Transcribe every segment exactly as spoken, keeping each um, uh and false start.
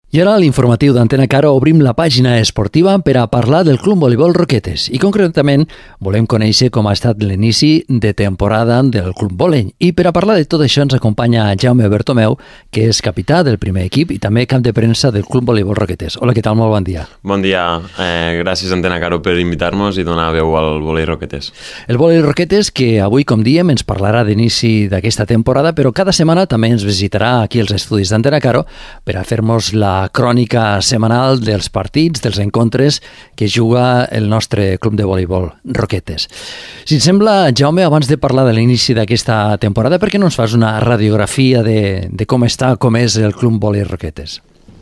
I ara a l'informatiu d'Antena Caro obrim la pàgina esportiva per a parlar del Club Voleibol Roquetes i concretament volem conèixer com ha estat l'inici de temporada del Club Volei. I per a parlar de tot això ens acompanya Jaume Bertomeu, que és capità del primer equip i també cap de premsa del Club Voleibol Roquetes. Hola, què tal? Molt bon dia. Bon dia. Eh, gràcies Antena Caro per invitar-nos i donar veu al Volei Roquetes. El Volei Roquetes que avui, com diem, ens parlarà d'inici d'aquesta temporada, però cada setmana també ens visitarà aquí als estudis d'Antena Caro per a fer-nos la crònica setmanal dels partits, dels encontres que juga el nostre club de voleibol Roquetes. Si et sembla, Jaume, abans de parlar de l'inici d'aquesta temporada, per què no ens fas una radiografia de, de com està, com és el club Volei Roquetes?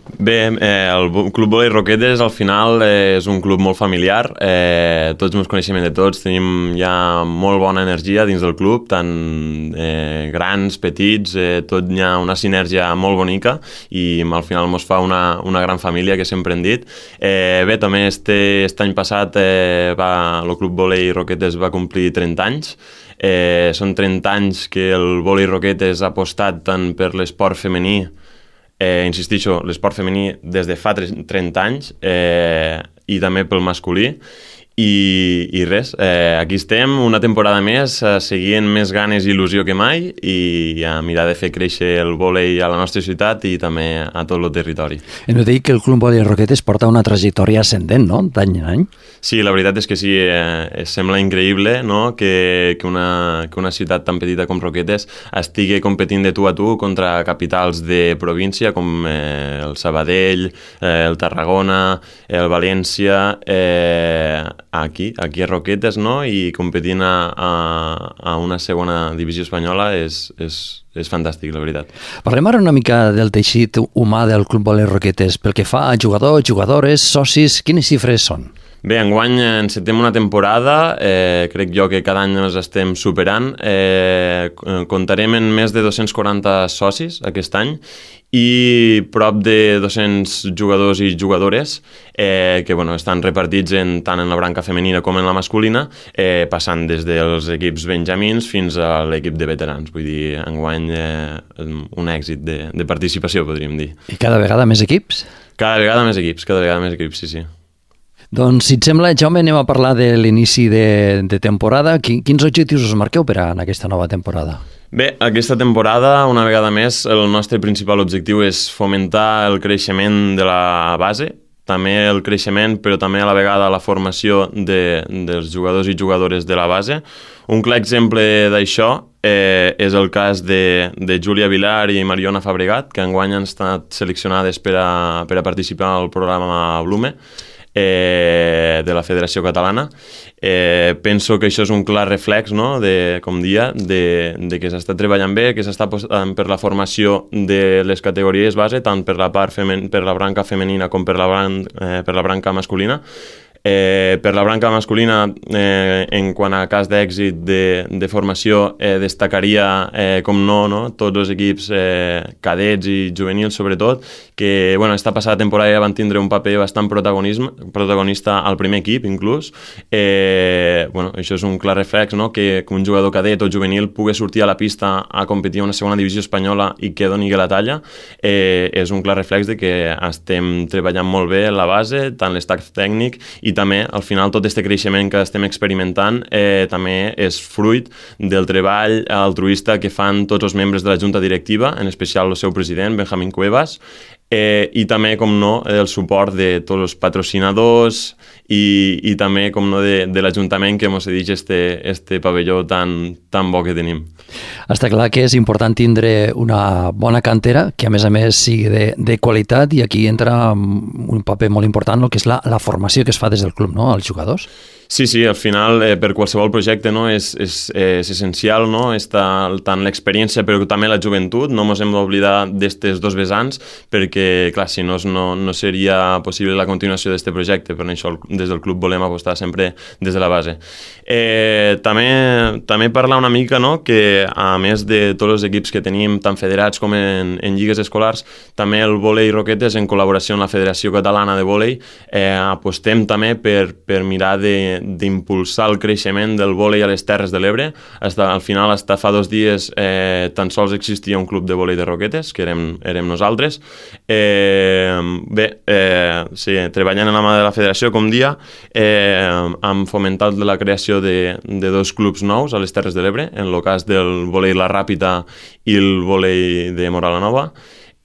Bé, eh, el Club Volei Roquetes al final eh, és un club molt familiar, eh, tots ens coneixem de tots, tenim ja molt bona energia dins del club, tant eh, grans, petits, eh, tot hi ha una sinergia molt bonica i al final ens fa una, una gran família, que sempre hem dit. Eh, bé, també este, este any passat eh, va, el Club Volei Roquetes va complir trenta anys. Eh, són trenta anys que el Volei Roquetes ha apostat tant per l'esport femení, Eh, insistixo, l'esport femení des de fa trenta anys eh, i també pel masculí i, i res, eh, aquí estem una temporada més, eh, seguint més ganes i il·lusió que mai i a mirar de fer créixer el vòlei a la nostra ciutat i també a tot el territori. Hem de dir que el Club Volei Roquetes porta una trajectòria ascendent, no?, d'any en any. Sí, la veritat és que sí, eh, sembla increïble, no?, que, que, una, que una ciutat tan petita com Roquetes estigui competint de tu a tu contra capitals de província com eh, el Sabadell, eh, el Tarragona, el València, eh, aquí, aquí a Roquetes, no?, i competint a, a, a una segona divisió espanyola és, és, és fantàstic, la veritat. Parlem ara una mica del teixit humà del Club Volei Roquetes, pel que fa a jugadors, jugadores, socis, quines xifres són? Bé, enguany encetem una temporada, eh, crec jo que cada any ens estem superant, eh, comptarem en més de dos-cents quaranta socis aquest any i prop de dos-cents jugadors i jugadores eh, que bueno, estan repartits en, tant en la branca femenina com en la masculina, eh, passant des dels equips benjamins fins a l'equip de veterans. Vull dir, enguany eh, un èxit de, de participació, podríem dir. I cada vegada més equips? Cada vegada més equips, cada vegada més equips, sí, sí. Doncs, si et sembla, Jaume, anem a parlar de l'inici de, de temporada. Quins objectius us marqueu per a en aquesta nova temporada? Bé, aquesta temporada, una vegada més, el nostre principal objectiu és fomentar el creixement de la base, també el creixement, però també a la vegada la formació de, dels jugadors i jugadores de la base. Un clar exemple d'això eh, és el cas de, de Júlia Vilar i Mariona Fabregat, que enguany han estat seleccionades per a, per a participar al programa Blume, Eh, de la Federació Catalana. Eh, penso que això és un clar reflex, no?, de, com dia, de, de que s'està treballant bé, que s'està apostant per la formació de les categories base, tant per la part femen, per la branca femenina com per la, bran, eh, per la branca masculina. Eh, per la branca masculina, eh, en quant a cas d'èxit de, de formació, eh, destacaria, eh, com no, no, tots els equips eh, cadets i juvenils, sobretot, que bueno, esta passada temporada ja van tindre un paper bastant protagonista al primer equip, inclús. Eh, bueno, això és un clar reflex, no?, que, que un jugador cadet o juvenil pugui sortir a la pista a competir a una segona divisió espanyola i que doni la talla. Eh, és un clar reflex de que estem treballant molt bé la base, tant l'estat tècnic, i també, al final, tot aquest creixement que estem experimentant eh, també és fruit del treball altruista que fan tots els membres de la Junta Directiva, en especial el seu president, Benjamín Cuevas, eh, i també, com no, el suport de tots els patrocinadors i, i també, com no, de, de l'Ajuntament que ens cedeix este, este pavelló tan, tan bo que tenim. Està clar que és important tindre una bona cantera, que a més a més sigui de, de qualitat, i aquí entra un paper molt important el que és la, la formació que es fa des del club, no?, als jugadors. Sí, sí, al final eh, per qualsevol projecte, no, és, és, és essencial, no?, està tant l'experiència però també la joventut. No ens hem d'oblidar d'aquests dos vessants perquè, clar, si no, no, no seria possible la continuació d'aquest projecte. Per això des del club volem apostar sempre des de la base. Eh, també, també parlar una mica, no?, que a més de tots els equips que tenim, tant federats com en, en lligues escolars, també el Volei Roquetes, en col·laboració amb la Federació Catalana de Volei, eh, apostem també per, per mirar de d'impulsar el creixement del vòlei a les Terres de l'Ebre. Hasta, al final, hasta fa dos dies, eh, tan sols existia un club de vòlei de Roquetes, que érem, érem nosaltres. Eh, bé, eh, sí, treballant en la mà de la federació, com dia, eh, hem fomentat la creació de, de dos clubs nous a les Terres de l'Ebre, en el cas del vòlei La Ràpita i el vòlei de Mora la Nova.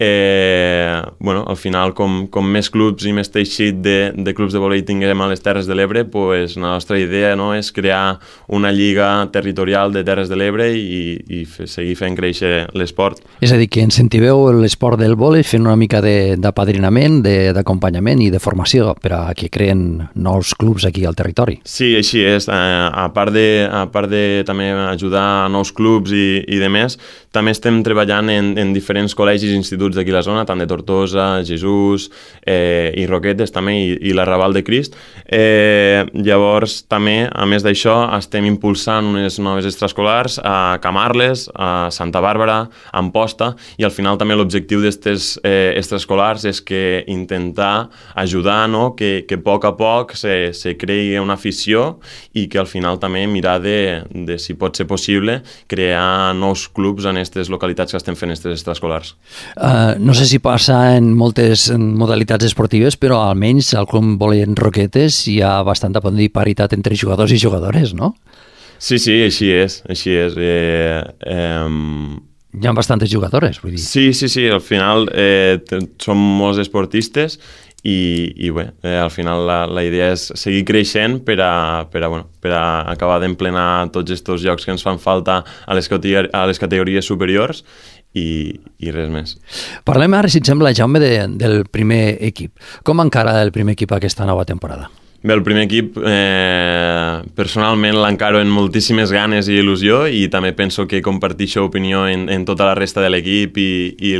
Eh, bueno, al final, com, com més clubs i més teixit de, de clubs de vòlei tinguem a les Terres de l'Ebre, pues, la nostra idea, no, és crear una lliga territorial de Terres de l'Ebre i, i fe, seguir fent créixer l'esport. És a dir, que incentiveu l'esport del vòlei fent una mica d'apadrinament, d'acompanyament i de formació per a que creen nous clubs aquí al territori. Sí, així és. Eh, a part de, a part de també ajudar a nous clubs i, i de més, també estem treballant en, en diferents col·legis i instituts d'aquí a la zona, tant de Tortosa, Jesús eh, i Roquetes també, i, i l'Arrabal de Crist. Eh, llavors, també, a més d'això, estem impulsant unes noves extraescolars a Camarles, a Santa Bàrbara, a Amposta, i al final també l'objectiu d'aquestes eh, extraescolars és que intentar ajudar, no?, que, que a poc a poc se, se creï una afició i que al final també mirar de, de, si pot ser possible, crear nous clubs en aquestes localitats que estem fent aquestes extraescolars. Uh, no sé si passa en moltes modalitats esportives, però almenys al club vòlei en Roquetes hi ha bastanta paritat entre jugadors i jugadores, no? Sí, sí, així és, així és. Eh, eh, hi ha bastantes jugadores, vull dir. Sí, sí, sí, al final eh, som molts esportistes i, i bé, eh, al final la, la idea és seguir creixent per a, per a, bueno, per a acabar d'emplenar tots aquests llocs que ens fan falta a les, a les categories superiors i, i res més. Parlem ara, si et sembla, Jaume, de, del primer equip. Com encara el primer equip aquesta nova temporada? Bé, el primer equip eh, personalment l'encaro amb moltíssimes ganes i il·lusió i també penso que comparteixo opinió en, en tota la resta de l'equip i, i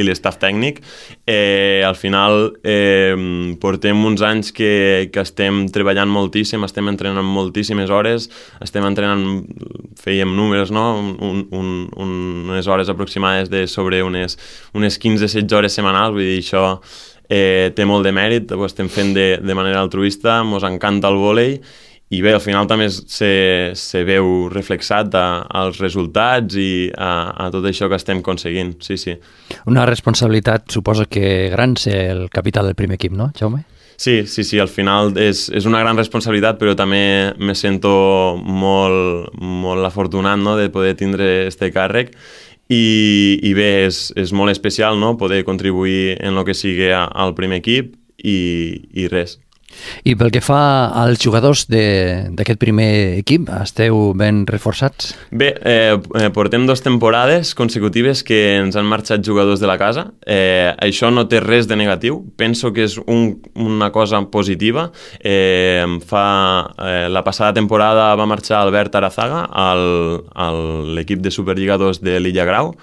l'estaf tècnic. Eh, al final eh, portem uns anys que, que estem treballant moltíssim, estem entrenant moltíssimes hores, estem entrenant, fèiem números, no? Un, un, un, unes hores aproximades de sobre unes, unes quinze setze hores setmanals, vull dir, això Eh, té molt de mèrit, ho estem fent de, de manera altruista, ens encanta el vòlei i bé, al final també se, se veu reflexat a, als resultats i a, a tot això que estem aconseguint, sí, sí. Una responsabilitat, suposo que gran, ser el capità del primer equip, no, Jaume? Sí, sí, sí, al final és, és una gran responsabilitat, però també me sento molt, molt afortunat, no?, de poder tindre este càrrec. I, i bé, és, és molt especial, no?, poder contribuir en el que sigui al primer equip i, i res. I pel que fa als jugadors d'aquest primer equip, esteu ben reforçats? Bé, eh, portem dues temporades consecutives que ens han marxat jugadors de la casa. Eh, això no té res de negatiu. Penso que és un, una cosa positiva. Eh, fa, eh, la passada temporada va marxar Albert Arazaga al, a l'equip de Superliga dos de l'Illa Grau.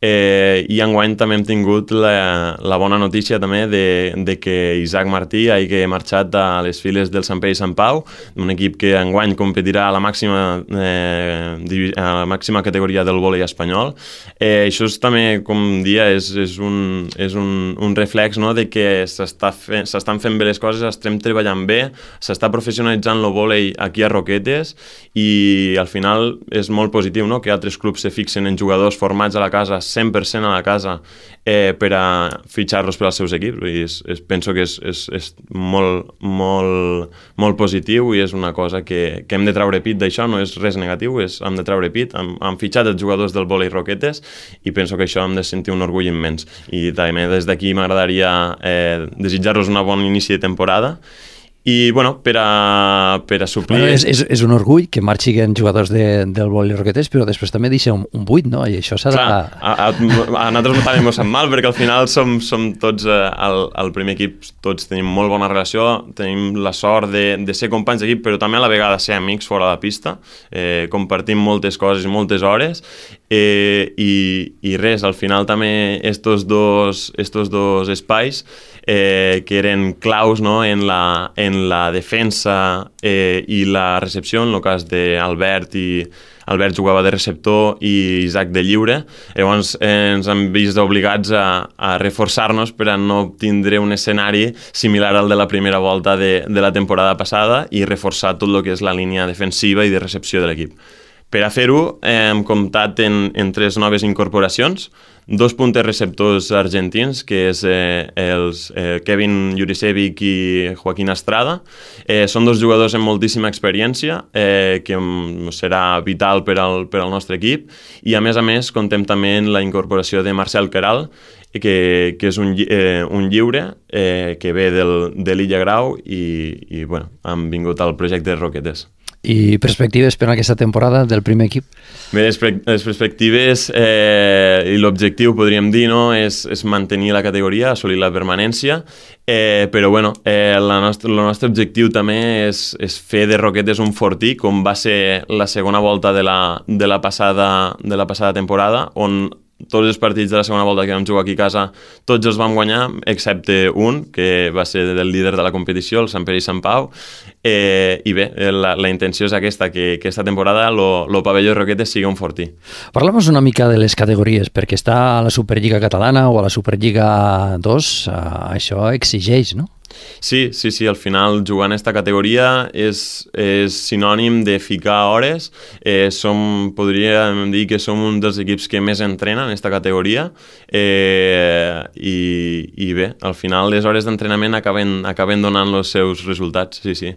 Eh, i enguany també hem tingut la, la bona notícia també de, de que Isaac Martí hagi marxat a les files del Sant Pere i Sant Pau, un equip que enguany competirà a la màxima, eh, a la màxima categoria del vòlei espanyol. Eh, això és també, com dia, és, és, un, és un, un reflex, no?, de que s'estan fent, fent bé les coses, estem treballant bé, s'està professionalitzant el vòlei aquí a Roquetes i al final és molt positiu, no?, que altres clubs se fixen en jugadors formats a la casa cent per cent a la casa eh, per a fitxar-los per als seus equips. És, és, penso que és, és, és molt, molt, molt positiu i és una cosa que, que hem de treure pit d'això, no és res negatiu, és, hem de treure pit. Hem, hem fitxat els jugadors del vòlei Roquetes i penso que això hem de sentir un orgull immens. I també des d'aquí m'agradaria eh, desitjar-los una bona inici de temporada. I, bueno, per a, per a suplir... Bueno, és, és, és un orgull que marxin jugadors de, del vòlei Roquetes, però després també deixa un, un buit, no? I això s'ha de... Clar, a, a, a nosaltres també ens sap mal, perquè al final som, som tots, eh, al, al primer equip, tots tenim molt bona relació, tenim la sort de, de ser companys d'equip, però també a la vegada ser amics fora de la pista, eh, compartim moltes coses i moltes hores, eh, i, i res, al final també estos dos, estos dos espais eh, que eren claus, no?, en, la, en la defensa eh, i la recepció, en el cas d'Albert i Albert jugava de receptor i Isaac de lliure, llavors eh, ens hem vist obligats a, a reforçar-nos per a no tindre un escenari similar al de la primera volta de, de la temporada passada i reforçar tot el que és la línia defensiva i de recepció de l'equip. Per a fer-ho eh, hem comptat en, en tres noves incorporacions, dos puntes receptors argentins, que és eh, els eh, Kevin Jurisevic i Joaquín Estrada. Eh, són dos jugadors amb moltíssima experiència, eh, que serà vital per al, per al nostre equip, i a més a més contem també amb la incorporació de Marcel Queralt, que, que és un, eh, un lliure eh, que ve del, de l'Illa Grau i, i bueno, han vingut al projecte de Roquetes. I perspectives per a aquesta temporada del primer equip? Bé, les, les perspectives eh, i l'objectiu, podríem dir, no?, és, és mantenir la categoria, assolir la permanència, eh, però bueno, eh, la nostra, el nostre objectiu també és, és fer de Roquetes un fortí, com va ser la segona volta de la, de la, passada, de la passada temporada, on tots els partits de la segona volta que vam jugar aquí a casa, tots els vam guanyar, excepte un, que va ser del líder de la competició, el Sant Pere i Sant Pau. Eh, I bé, la, la intenció és aquesta, que, que aquesta temporada el pavelló Roquetes sigui un fortí. Parlem una mica de les categories, perquè està a la Superliga Catalana o a la Superliga dos, això exigeix, no? Sí, sí, sí, al final jugar en aquesta categoria és, és sinònim de ficar hores. Eh, som, podríem dir que som un dels equips que més entrenen en aquesta categoria eh, i, i bé, al final les hores d'entrenament acaben, acaben donant els seus resultats, sí, sí.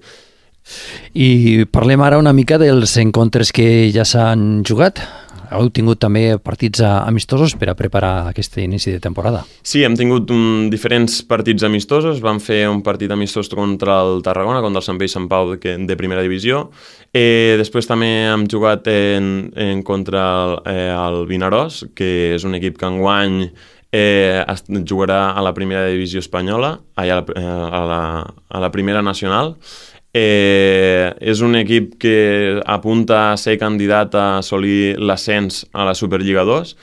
I parlem ara una mica dels encontres que ja s'han jugat. Heu tingut també partits amistosos per a preparar aquest inici de temporada. Sí, hem tingut um, diferents partits amistosos. Vam fer un partit amistós contra el Tarragona, contra el Sant Pere i Sant Pau de, de primera divisió. Eh, després també hem jugat en, en contra el, eh, el Vinaròs, que és un equip que enguany eh, jugarà a la primera divisió espanyola, a la, a la, a la primera nacional. Eh, és un equip que apunta a ser candidat a assolir l'ascens a la Superliga dos.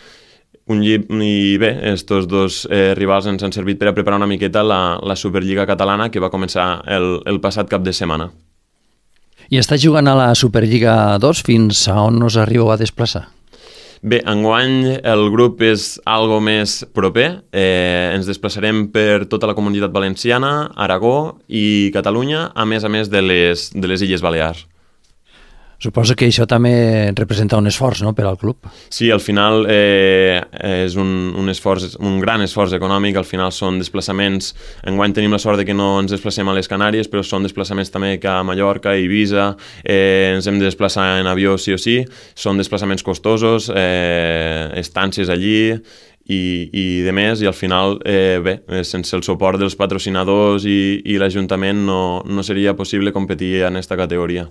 Un llib... I bé, estos dos eh, rivals ens han servit per a preparar una miqueta la, la Superliga catalana, que va començar el, el passat cap de setmana. I està jugant a la Superliga dos, fins a on us arribeu a desplaçar? Bé, enguany el grup és algo més proper. Eh, ens desplaçarem per tota la Comunitat Valenciana, Aragó i Catalunya, a més a més de les, de les Illes Balears. Suposo que això també representa un esforç, no?, per al club. Sí, al final eh, és un, un, esforç, un gran esforç econòmic, al final són desplaçaments, enguany tenim la sort de que no ens desplacem a les Canàries, però són desplaçaments també que a Mallorca, Eivissa, eh, ens hem de desplaçar en avió sí o sí, són desplaçaments costosos, eh, estàncies allí, i, i de més, i al final eh, bé, sense el suport dels patrocinadors i, i l'Ajuntament no, no seria possible competir en aquesta categoria.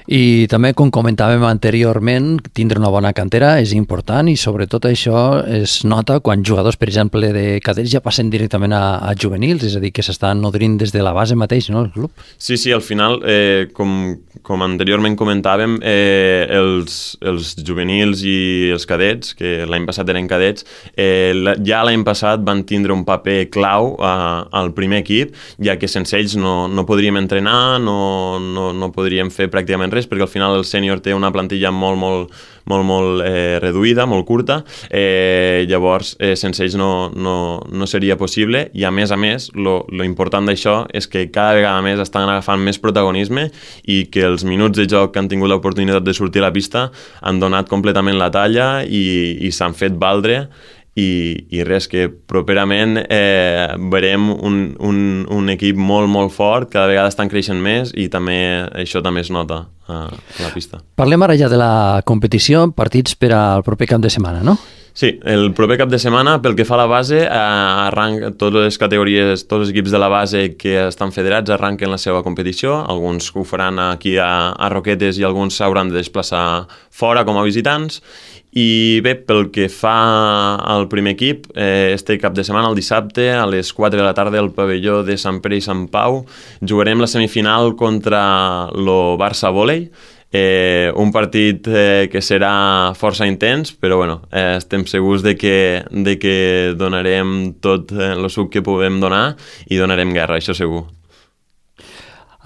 I també, com comentàvem anteriorment, tindre una bona cantera és important i sobretot això es nota quan jugadors, per exemple, de cadets ja passen directament a, a juvenils, és a dir, que s'estan nodrint des de la base mateix, no?, el club. Sí, sí, al final, eh, com, com anteriorment comentàvem, eh, els, els juvenils i els cadets, que l'any passat eren cadets, eh, ja l'any passat van tindre un paper clau a, al primer equip, ja que sense ells no, no podríem entrenar, no, no, no podríem fer pràcticament res, perquè al final el sènior té una plantilla molt, molt, molt, molt eh, reduïda, molt curta, eh, llavors eh, sense ells no, no, no seria possible, i a més a més, lo, lo important d'això és que cada vegada més estan agafant més protagonisme i que els minuts de joc que han tingut l'oportunitat de sortir a la pista han donat completament la talla i, i s'han fet valdre. I, i res, que properament eh, veurem un, un, un equip molt, molt fort, cada vegada estan creixent més i també això també es nota a la pista. Parlem ara ja de la competició, partits per al proper cap de setmana, no? Sí, el proper cap de setmana, pel que fa a la base, eh, arranca totes les categories, tots els equips de la base que estan federats arranquen la seva competició, alguns ho faran aquí a, a Roquetes i alguns s'hauran de desplaçar fora com a visitants. I bé, pel que fa al primer equip, eh, este cap de setmana, el dissabte, a les quatre de la tarda, al pavelló de Sant Pere i Sant Pau, jugarem la semifinal contra el Barça Vòlei. Eh, un partit eh, que serà força intens, però bueno, eh, estem segurs de que, de que donarem tot el suc que puguem donar i donarem guerra, això segur.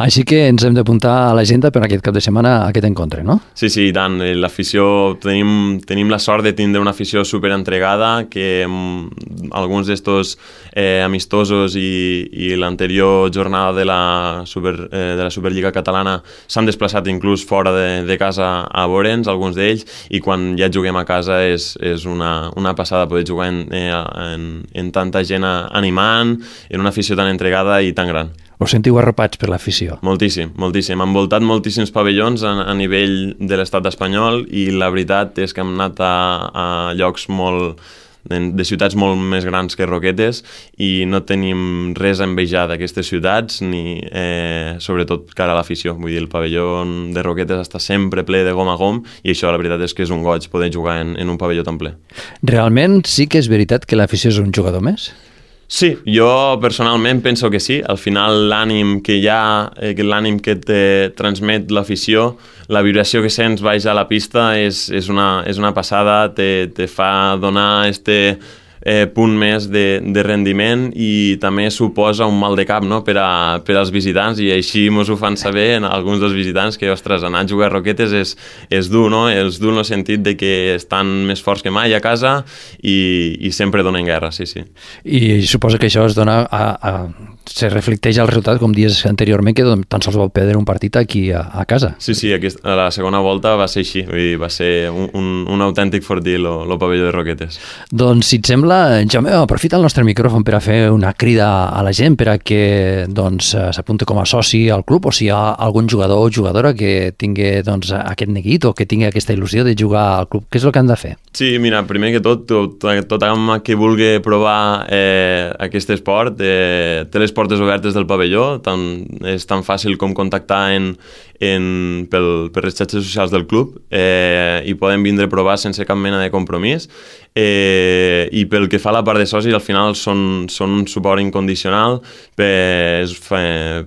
Així que ens hem d'apuntar a l'agenda per aquest cap de setmana a aquest encontre, no? Sí, sí, i tant. L'afició, tenim, tenim la sort de tindre una afició superentregada, que mm, alguns d'estos eh, amistosos i, i l'anterior jornada de la, Super, eh, de la Superliga Catalana s'han desplaçat inclús fora de, de casa a veure'ns, alguns d'ells, i quan ja juguem a casa és, és una, una passada poder jugar en, en, en tanta gent animant, en una afició tan entregada i tan gran. Us sentiu arropats per l'afició? Moltíssim, moltíssim. Han envoltat moltíssims pavellons a, a nivell de l'estat espanyol i la veritat és que hem anat a, a llocs molt, de, de ciutats molt més grans que Roquetes i no tenim res a envejar d'aquestes ciutats ni eh, sobretot cara a l'afició. Vull dir, el pavelló de Roquetes està sempre ple de gom a gom i això la veritat és que és un goig poder jugar en, en un pavelló tan ple. Realment sí que és veritat que l'afició és un jugador més? Sí, jo personalment penso que sí. Al final l'ànim que hi ha, eh, l'ànim que te transmet l'afició, la vibració que sents baix a la pista és, és, una, és una passada, te, te fa donar este eh, punt més de, de rendiment i també suposa un mal de cap, no?, per, a, per als visitants i així mos ho fan saber en alguns dels visitants que, ostres, anar a jugar a Roquetes és, és dur, no? És dur en el sentit de que estan més forts que mai a casa i, i sempre donen guerra, sí, sí. I suposo que això es dona a, a, se reflecteix al resultat, com dies anteriorment, que tan sols vau perdre un partit aquí a, a casa. Sí, sí, aquest, a la segona volta va ser així, vull dir, va ser un, un, un autèntic fortí el pavelló de Roquetes. Doncs, si et sembla, Jaume, aprofita el nostre micròfon per a fer una crida a la gent per a que doncs, s'apunti com a soci al club, o si hi ha algun jugador o jugadora que tingui doncs, aquest neguit o que tingui aquesta il·lusió de jugar al club. Què és el que han de fer? Sí, mira, primer que tot, tot, tot home que vulgui provar eh, aquest esport eh, té les portes obertes del pavelló, tan, és tan fàcil com contactar en, en, pel, per les xarxes socials del club eh, i poden vindre a provar sense cap mena de compromís. Eh, i pel que fa a la part de socis, al final són, són un suport incondicional. Per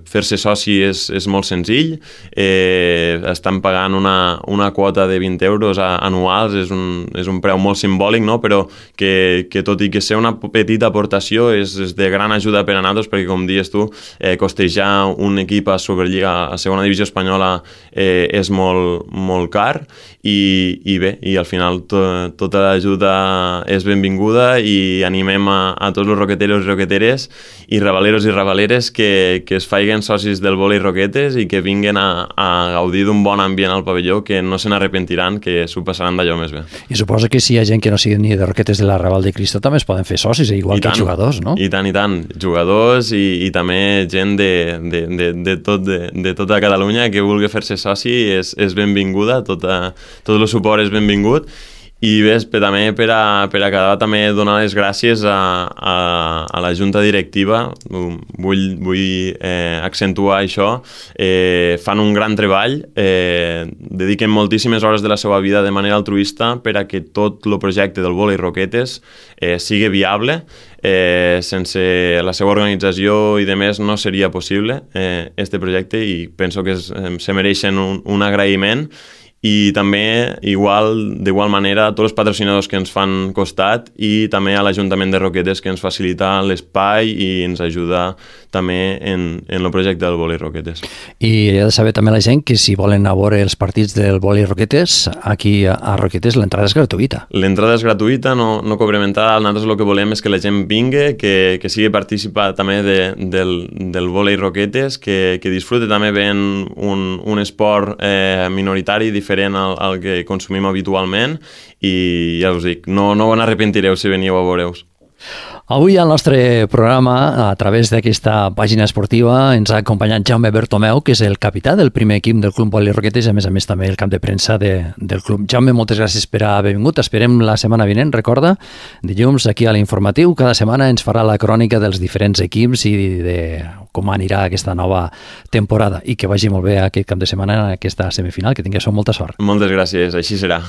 fer-se soci és, és molt senzill, eh, estan pagant una, una quota de vint euros anuals, és un, és un preu molt simbòlic, no? Però que, que tot i que ser una petita aportació és, és de gran ajuda per a nosaltres, perquè com dius tu, eh, costejar un equip a Superliga, a segona divisió espanyola eh, és molt, molt car i, i bé, i al final to, tota l'ajuda és benvinguda i animem a, a tots els roqueteros i roqueteres i ravaleros i ravaleres que, que es faiguen socis del vòlei Roquetes i que vinguen a, a gaudir d'un bon ambient al pavelló, que no se n'arrepentiran, que s'ho passaran d'allò més bé. I suposo que si hi ha gent que no sigui ni de Roquetes de la Raval de Cristo també es poden fer socis, igual I que tant, jugadors, no? I tant, i tant. Jugadors i, i també gent de, de, de, de, tot, de, de tota Catalunya que vulgui fer-se soci és, és benvinguda, tota, tot el suport és benvingut. I bé, també per, a, per acabar també donar les gràcies a, a, a la junta directiva, vull, vull eh, accentuar això, eh, fan un gran treball, eh, dediquen moltíssimes hores de la seva vida de manera altruista per a que tot el projecte del vòlei Roquetes eh, sigui viable. Eh, sense la seva organització i de més no seria possible eh, este projecte i penso que es, eh, se mereixen un, un agraïment. I també, igual, d'igual manera, a tots els patrocinadors que ens fan costat i també a l'Ajuntament de Roquetes, que ens facilita l'espai i ens ajuda també en, en el projecte del vòlei Roquetes. I he de saber també la gent que si volen anar a veure els partits del vòlei Roquetes, aquí a Roquetes l'entrada és gratuïta. L'entrada és gratuïta, no, no cobrem entrada. Nosaltres el que volem és que la gent vingui, que, que sigui participar també de, del, del vòlei Roquetes, que, que disfrute també ben un, un esport eh, minoritari diferent al, al que consumim habitualment i ja us dic, no, no ho n'arrepentireu si veniu a veure-us. Avui al nostre programa, a través d'aquesta pàgina esportiva, ens ha acompanyat Jaume Bertomeu, que és el capità del primer equip del Club Vòlei Roquetes i, a més a més, també el camp de premsa de, del club. Jaume, moltes gràcies per haver vingut. Esperem la setmana vinent, recorda, dilluns aquí a l'Informatiu. Cada setmana ens farà la crònica dels diferents equips i de com anirà aquesta nova temporada. I que vagi molt bé aquest cap de setmana en aquesta semifinal. Que tingueu molta sort. Moltes gràcies, així serà.